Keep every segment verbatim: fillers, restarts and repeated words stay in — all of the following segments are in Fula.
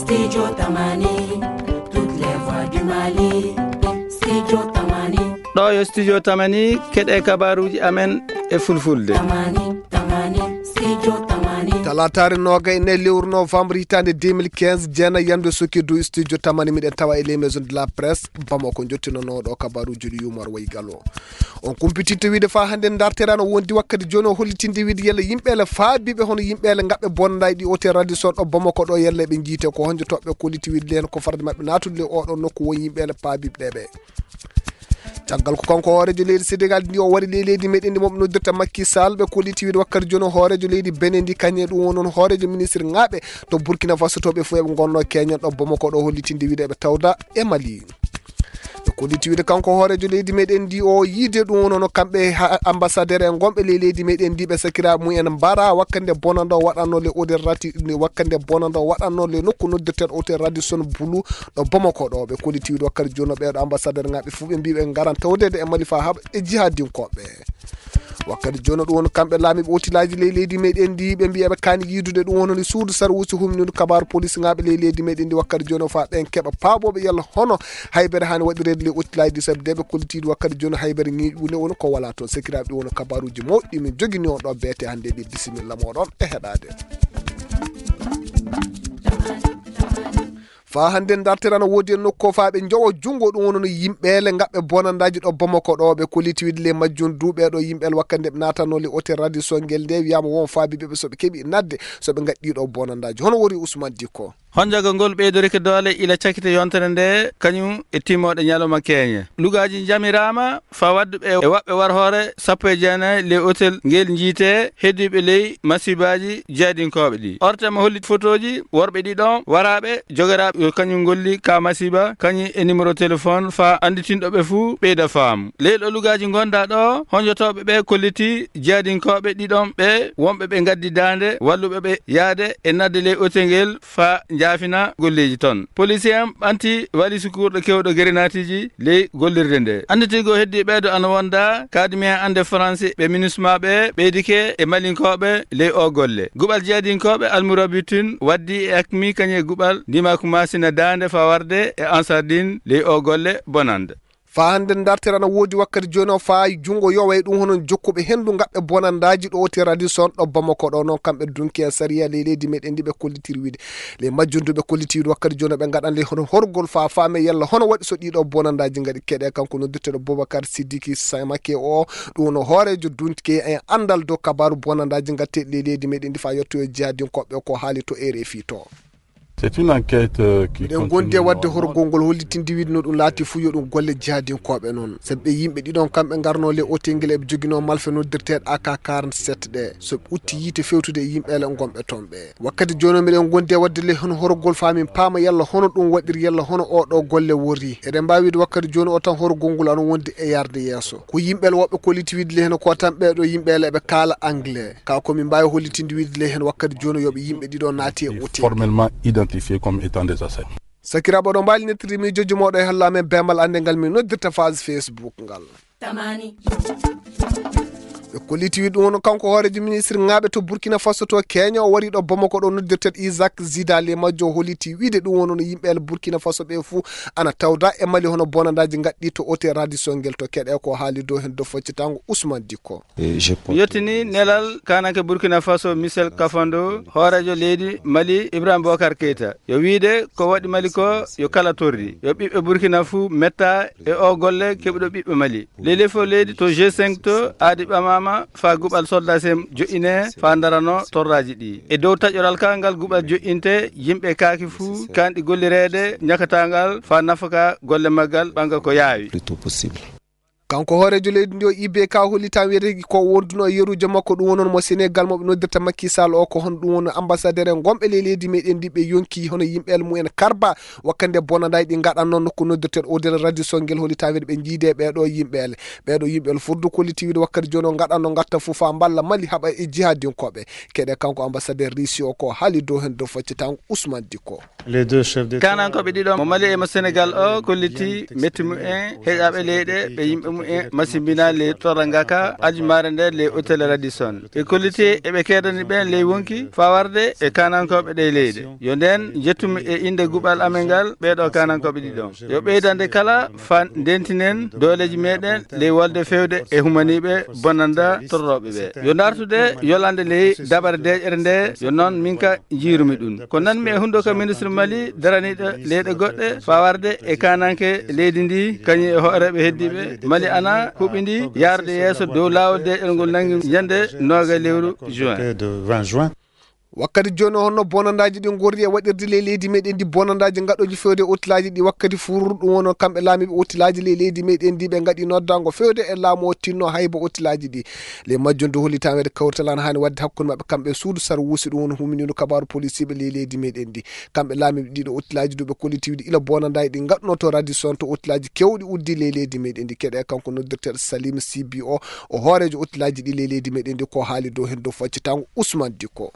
Studio Tamani, toutes les voix du Mali. Studio Tamani. Ɗo yo Studio Tamani, keɗe kabaruji amen e fulfulde. Tamani, Tamani, Studio Tamani. Talataare noga e nayi lewru novembre hitaande deux mille quinze, jeena yamde soki dow Studio Tamani, miɗen tawa e les maisons de la presse, Bamako, jottinono ɗo kabaruji ɗi yumor wayi galo. On kumpititto wiide fa hannde darterano wondi wakkati jooni o hollitinde wiide yalla yimɓeele faabiiɓe hono yimɓeele ngaɓɓe bonandaaji ɗi otel radio son ɗo Bamako ɗo yalla ɓe njiite ko honjo toɓɓe kolliti wiide leen ko farde maɓɓe naatude le oɗo nokku won yimɓeele paabiiɓe ɗeɓe. Caggal ko kanko hoorejo leydi Senegal ndi o wari ley leydi meɗen ndi moɓe noddirta Macky Sall ɓe kolliti wiide wakkati jooni o hoorejo leydi Benin ndi kañe ɗum won on hoorejo ministre ngaɓe to Burkina Faso to ɓe fof eɓe gonno keñen ɗo Bamako ɗo hollitinde wiide eɓe tawda e Mali. Ɓe kolliti wiide kanko hoorejo leydi meɗen ndi o yiide ɗum won hono kamɓe ha- ambassadeur en gonɓe ley leydi meɗen ndi ɓe sakira mumen mbara wakkande bonando waɗanno le oderati wakkande bonando waɗanno le nokku noddirten otel radio son bulu ɗo Bamako ɗo ɓe kolliti wiide wakkati jooni ɓeɗo ambassadeur ngaɓe fof ɓe mbi ɓe ngaran tawdede e Mali fa haɓa e jihadinkoɓe. Wakkati jooni ɗum woni kamɓe laamiiɓe otilaaji ley leydi meɗen ndi ɓe mbi eɓe kaani yiidude ɗum wononi suudu sarwuusi humnidu kabaaru police ngaaɓe ley leydi meɗen ndi wakkati jooni o faa ɓen keɓa paaboɓe yalla hono haybere haani waɗireede ley otilaaji ɗi sabi de ɓe kollitiiɗi wakkati jooni haybere ñiiƴu ne woni ko wala toon sekiraaɓe ɗum woni kabaaruji mawɗi min jogini on ɗo beete hannde ɓe bisimilla moɗon e heɗaade. Faa hannde dartere ana woodi e nokku o faa ɓe njowo junngo ɗum wonano yimɓeele ngaɓɓe bonandaaji ɗo Bamako ɗo ɓe kolliti wiide le majjum duuɓe ɗo yimɓeele wakkati nde ɓe naatanno le otel radio songel nde wiyaama won faabiiɓe ɓe so ɓe keɓi nadde so ɓe ngaɗɗi ɗo bonandaaji hono wori Ousmane Dikko. Honjogo ngol ɓeydorike doole ila cakite yontere nde kañum e timmooɗe ñalawma keeñe. Lugaaji njamiraama faa waɗduɓe e waɓɓe warhoore sappo e jeenayi ley otel ngel njiite heddiiɓe ley masiibaaji jihadinkooɓe ɗi. Ortema holli fotooji worɓe ɗiɗon waraaɓe jogoraaɓe yo kañum ngolli ka masiiba kañum e numéro téléphone faa annditinɗo ɓe fuu ɓeyda faamu. Ley ɗo lugaaji ngonda ɗo honjotooɓe ɓe kolliti jihadinkooɓe ɗiɗon ɓe wonɓe ɓe ngaddi daande walluɓe ɓe yaade e nadde ley otel ngel faa njaafina golleeji ton. Policier en ɓanti walisu kuurɗo kewɗo grenatiiji ley gollirde nde. Annditiigo heddi ɓeeɗo ana wonda kaadimi en annde Faransi ɓe MINUSMA ɓe ɓeydike e Malinkooɓe ley o golle. Guɓal jihadinkooɓe Almurabitin waddi e akmi kañum e guɓal ndimaaku Masina daande faa warde e Ansardin ley o golle bonande. Faa hannde dartere ana woodi wakkati jooni o faa junngo yoway ɗum hono jokkuɓe henndu ngaɓɓe bonandaaji ɗo otel radio son ɗo Bamako ɗo noon kamɓe dunki e sariya ley leydi meɗen ndi ɓe kollitir wiide le majjundu ɓe kolliti wiide wakkati jooni ɓe ngaɗan le hono horgol faa faame yalla hono waɗi so ɗiɗo bonandaaji ngaɗi keɗe kanko noddirteɗo Boubacar Sidiki Samake o ɗum no hoorejo dunki e anndal dow kabaaru bonandaaji ngatte ley leydi meɗen ndi faa yettoyo jihadinkoɓe ko haali to R F I to. C'est une enquête euh, qui miɗen gondi e continue wadde normalement. Horgol ngol hollitinde wiide no ɗum laati fuu yo ɗum golle jihadinkooɓe noon sabi ɓe yimɓe ɗiɗon kamɓe ngarno le otel ngel eɓe joginoo malfe noddirteeɗo A K quarante-sept ɗe so ɓe utti yiite fewtude e yimɓeele ngonɓe toon ɓe wakkati jooni o miɗen gondi e wadde le hono horgol faa min paama yalla hono ɗum waɗiri yalla hono oo ɗoo golle worri eɗen mbaawi wiide wakkati jooni o tan horgol ngol ana wondi e yarde yeeso ko yimɓeele woɓɓe kolliti wiide le heno ko tan ɓeeɗo yimɓeele eɓe kaala anglais ka ko min mbaawi hollitinde wiide le heno wakkati jooni yo ɓe yimɓe ɗiɗo naati e otel formellement identifié comme étant des assaillants. Sakiraaɓe oɗo mbaali nettirde miijooji mooɗo e halla amen beemal annde ngal min noddirta phase Facebook ngal. Tamani. Ɓe kolliti wiide ɗum woni kanko hoorejo ministre ŋaaɓe to Burkina Faso to Kenya o wari ɗo Bamako ɗo noddirteɗo Isaac Zida le majjo o holliti wiide ɗum woni no yimɓe el Burkina Faso ɓe fuu ana tawda e Mali hono bonandaaji ngaɗɗi to otel radio songel to keɗe ko haali dow heen dow faccitango Ousmane Dikko. Mi yettini nelal kananke Burkina Faso Michel Kafando hoorejo leydi Mali Ibrahim Bokar Keita yo wiide ko waɗi Mali ko yo kala torri yo ɓiɓɓe Burkina fuu metta e o golle keɓuɗo ɓiɓɓe Mali lelefo leydi to G cinq to aadi ɓamama faa guɓal soldat sem joƴƴine faa darano torraji ɗi e dow taƴoral ka ngal guɓal joƴƴinte yimɓe kaaki fuu kanɗi gollireede ñakatangal faa nafaka golle maggal ɓanga ko yaawi. Kanko hooreejo leydi ndi o I B K hollitan wiyetee ko wonduno e yeruujo makko ɗum wonon mo Senegal mo ɓe noddirta Macky Sall o ko hono ɗum woni ambassadeur en gonɓe ley leydi meɗen ndi ɓe yonki hono yimɓe el mumen karba wakkande bonandaji ɗi gaɗanno nokku noddirteɗo o nder radio songel hollitan wiyde ɓe jiide ɓeɗo yimɓe ele ɓeɗo yimɓe ele foddu kolliti wiyde wakkati joni o gaɗanno gatta fof fa mballa Mali haɓa e jihadinkoɓe keɗe kanko ambassadeur Russie o ko haali dow hen dow faccitango Ousmane Dikko. Kanankoɓe ɗiɗo mo Mali e mo Senegal o kolliti metti mumen heƴaɓe leyɗe ɓe yimɓe Masimbina ley torra ngaka aljumaare nde ley otel Radisson. E kolliti eɓe keedani ɓen ley wonki fawarde e kanankooɓe ɗe leyɗe. Yo nden jettumi e innde guɓal amen ngal ɓeeɗo kanankooɓe ɗiɗon. Yo ɓeydande kala fa ndentinen dooleeji meɗen ley wolde fewde e humaniiɓe bonanda torrooɓe ɓe. Yo dartude yolande ley dabare deeƴere nde, yo non min ka jiirumi ɗum. Ko nanmi e hundo ka ministre Mali daraniiɗo leyɗe goɗɗe fawarde e kananke leydi ndi, kañum e hooreeɓe heddiiɓe Mali ana huɓindi yaarde yeeso dow laawol deeƴere ngol nangi ñande nooga lewru juin. Wakkati jooni o, honno bonandaaji ɗi ngorri e waɗirde ley leydi meɗen ndi? Bonandaaji ngaɗooji fewde e otelaaji ɗi wakkati fur, ɗum woni kamɓe laamiiɓe otelaaji ley leydi meɗen ndi ɓe ngaɗi noddango fewde e laamu o tinno hayba otelaaji ɗi. Ley majjum du holli tan weɗe kawrital an haani waɗde hakkunde maɓɓe kamɓe e suudu sar wuusi ɗum woni huminiiɗo kabaaru policier ɓe ley leydi meɗen ndi. Kamɓe laamiiɓe ɗiɗo otelaaji du ɓe kolliti wiide ila bonandaaji ɗi ngaɗuno to Radisson to otelaaji kewɗi uddi ley leydi meɗen ndi. Keɗe kanko noddirteeɗo Salim C B O, o hooreejo otelaaji ɗi ley leydi meɗen ndi ko haali dow hen dow faccitango Ousmane Dikko.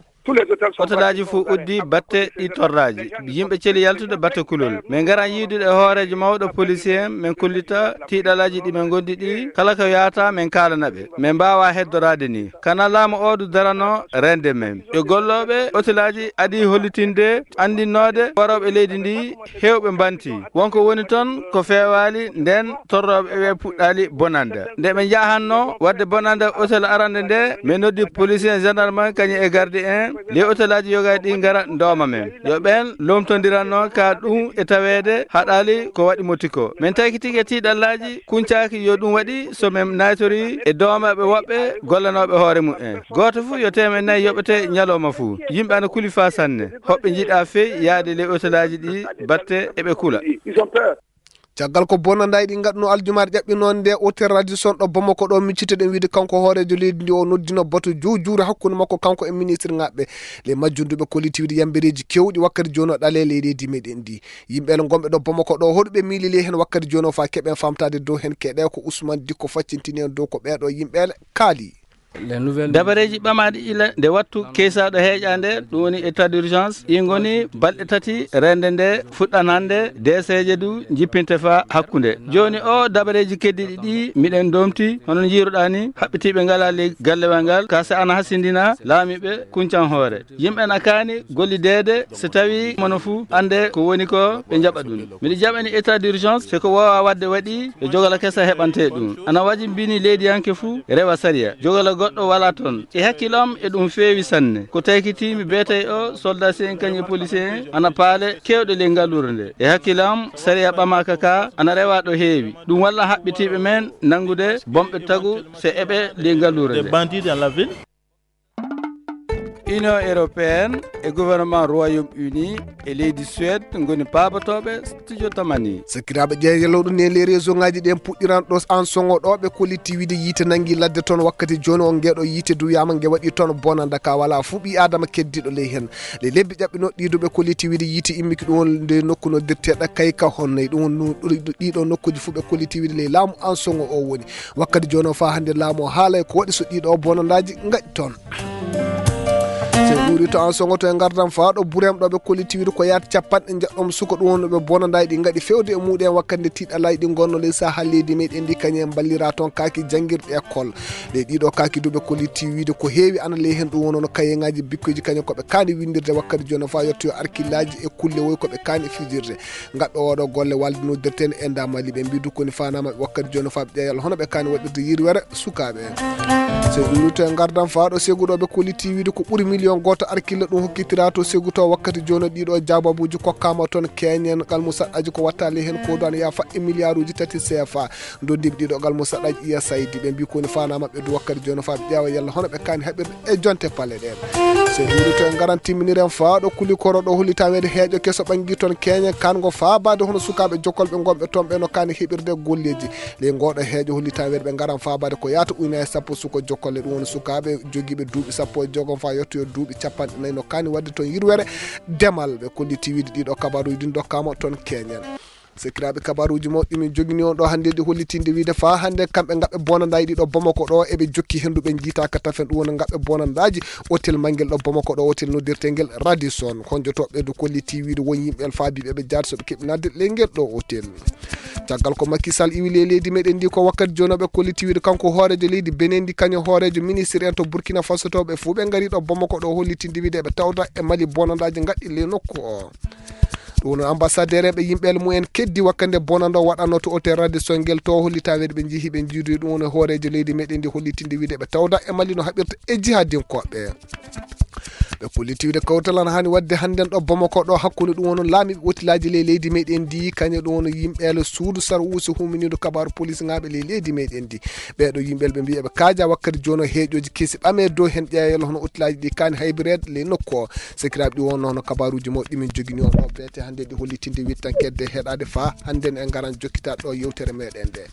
Otelaaji fof uddi batte ɗi torraaji. Yimɓe celi yaltude batte kulol. Min ngara yiidude e hooreejo mawɗo policier en, min kollita tiiɗalaaji ɗi min ngondi ɗi. Kala ko yaata min kaalana ɓe. Min mbaawa heddoraade ni. Kana laamu o du darano rende men. E gollooɓe otelaaji adi hollitinde, andinnoode warooɓe leydi ndi, heewɓe mbanti. Wonko woni ton ko feewaali nden torrooɓe ɓe puɗɗaali bonande. Nde ɓe njahanno waɗde bonande otel arande nde, min noddi policier, gendarme kañum e garde en. Ley otelaaji yoga ɗi ngara ndooma men. Yo ɓen lomtondiranno ka ɗum e taweede haɗaali ko waɗi moti ko. Min taykitike tiiɗallaaji kuncaaki yo ɗum waɗi so min naytori e doomaaɓe woɓɓe gollanooɓe hoore mumen. Gooto fof yo teemen nayi yoɓete ñalawma fof. Yimɓe ana kuli faa sanne. Hoɓɓe njiɗa fey yaade ley otelaaji ɗi batte eɓe kula. Caggal ko bonandaaji ɗi ngaɗuno aljumaare ƴaɓɓinoon nde hôtel Radisson ɗo Bamako ɗo, miccitoɗen wiide kanko hooreejo leydi ndi o noddino batu juujuure hakkunde makko kanko e ministre ŋaɓɓe. Ley majjum du ɓe kolliti wiide yambereeji kewɗi wakkati jooni o ɗale ley leydi meɗen ndi. Yimɓe ele gonɓe ɗo Bamako ɗo hoɗuɓe miili ley hen wakkati jooni o faa keɓen famtaade dow hen keɗe ko Ousmane Dikko faccintini en dow ko ɓeeɗo yimɓe ele kaali. Dabareeji ɓamaaɗi ila nde wattu keysaaɗo heeƴaande, ɗum woni état d'urgence, ɗi ngoni balɗe tati rende nde fuɗɗan hannde, deeseeje du jippinte faa hakkunde. Jooni o dabareeji keddiiɗi ɗi miɗen domti, hono njiiruɗaa ni, haɓɓitiiɓe ngalaa ley gallewal ngal, ka se ana hasindina laamiiɓe kuncan hoore. Yimɓe na kaani gollideede, so tawi mono fuu annde ko woni ko ɓe njaɓa ɗum. Miɗo jaɓani état d'urgence, so ko woowa waɗde waɗi, e jogala kesa heɓante ɗum. Ana wajimbini leydiyanke fuu rewa sariya. Jogala goɗɗo wala ton. E hakkillo am e ɗum feewi sanne. Ko taykitiimi beetay o, soldat si en kañum e policier en, ana paale kewɗe ley ngalluure nde. E hakkillo am, sariya ɓamaaka ka, ana rewa ɗo heewi. Ɗum walla haɓɓitiiɓe men nanngude bomɓe tagu so eɓe ley ngalluure nde. Des bandits dans la ville. Union européenne e gouvernement Royaume-Uni e leydi Suède ngoni paabotooɓe studio Tamani. Sakiraaɓe ƴeeñalawɗo ne les réseau ngaji ɗen puɗɗiran ɗo an songo ɗo ɓe kolliti wiide yiite nangi ladde toon wakkati jooni o. Ngeɗo yiite duwiyaama nge waɗi toon bonanda ka wala fuu ɓi Adama keddiɗo ley hen. Les lebbi ƴaɓɓino ɗiɗo ɓe kolliti wiide yiite immiki ɗum won nde nokku noddirteɗo Kayka Honnay. Ɗum won nu-, ɗiɗo nokkuji fuu ɓe kolliti wiide ley laamu an songo o woni. Wakkati jooni o faa hannde laamu o haalay ko waɗi so ɗiɗo bonandaaji ngaɗi toon. So en ƴuuri to an songo to e ngardam faa ɗo Burem ɗo ɓe kolliti wiide ko yaata capanɗe njeɗɗom suka ɗum wonno ɓe bonandaaji ɗi ngaɗi fewde e muɗum en wakkati nde tiiɗalaaji ɗi ngonno ley saha leydi meɗen ndi kañum en mballira toon kaaki janngirɗe école. Ɗe ɗiɗo kaaki du ɓe kolliti wiide ko heewi ana ley hen ɗum wonno kayeŋaaji bikkoyji kañum ko ɓe kaani winndirde wakkati jooni o faa yettoyo arkillaaji e kulle woy ko ɓe kaani fijirde. Ngaɓɓe oɗo golle walde noddirten e nda Mali ɓe mbi du koni fanama ɓe wakkati jooni faa ɓe ƴeewa yalla hono ɓe kaani waɗirde yirwere sukaaɓe. So ƴuuri to e ngardam faa ɗo segu ɗo ɓe kolliti wiide ko ɓuri miliyon gooto arkilla ɗum hokkitira to segu to wakkati jooni ɗiɗo jababuuji kokkaama toon keñen kalmusaɗɗaji ko wattali heen ko duwan yaa faɗɗi miliyaaruuji tati C F A. Doddiiɓe ɗiɗo galmo saɗaji U S A I D ɓe mbi koni fanama ɓe du wakkati jooni faa ɓe ƴeewa yalla hono ɓe kaani haɓirde e jonte pale ɗen. So ƴuuri to en ngaran timminiren faa ɗo kuli koro ɗo holli taweede heeƴo keso ɓangi toon keñe kango faabaade hono sukaaɓe jokkolɓe gonɓe toon ɓe no kaani heɓirde golleeji. Ley ngoɗo heeƴo holli taweede ɓe ngaran faabaade ko yaata ujunaaji sappo suko jokkolle ɗum woni sukaaɓe jogiiɓe duuɓi sappo e jeegom faa yettoyo duuɓi capanɗe nayi no kaani waɗde toon yirwere demal. Ɓe kolliti wiide ɗiɗo kabaruuji ɗin dokkaama toon keñen. Sekiraaɓe kabaruuji mawɗi min jogini on ɗo hannde ɗi hollitinde wiide faa hannde kamɓe ngaɓɓe bonandaaji ɗiɗo Bamako ɗo eɓe jokki henndu ɓe njiitaaka tafen ɗum woni ngaɓɓe bonandaaji hôtel mangel ɗo Bamako ɗo hôtel noddirtengel Radisson. Honjotooɓe du kolliti wiide won yimɓe faabiiɓe ɓe jaati so ɓe keɓinaade ley ngel ɗo hôtel. Caggal ko Macky Sall iwi ley leydi meɗen ndi, ko wakkati jooni o ɓe kolliti wiide kanko hooreejo leydi Benin ndi, kañum hooreejo ministre en to Burkina Faso to, ɓe fuu ɓe ngari ɗo Bamako ɗo hollitinde wiide eɓe tawda e Mali bonandaaji ngaɗɗi ley nokku o. Ɗum woni ambassadeur e ɓe yimɓe mumen keddi wakkati nde bonando waɗanno to hôtel Radisson ngel to hollita wiide ɓe njihi ɓe njiidoyi ɗum woni hooreejo leydi meɗen ndi hollitinde wiide ɓe tawda e Mali no haɓirta e jihadinkoɓe. Ɓe kolliti wiide kawtal ana hani waɗde hannden ɗo Bamako ɗo hakkunde ɗum woni laamiiɓe otilaaji ley leydi meɗen ndi kañum ɗum woni yimɓe suudu sarwuusi huminiidu kabaaru polisŋaaɓe ley leydi meɗen ndi. Ɓeeɗo yimɓe ɓe mbiya ɓe kaaja wakkati jooni o heeƴooji kesi ɓame dow heen ƴeewa hono otilaaji ɗi kaani haybireede ley nokku o. Sekiraaɓe ɗi wonno hono kabaaruuji mawɗi min jogini on ɗo beete hannde ɗi hollitinde wittankeede heɗaade faa hannden en ngaran jokkita ɗo yewtere meɗen nde.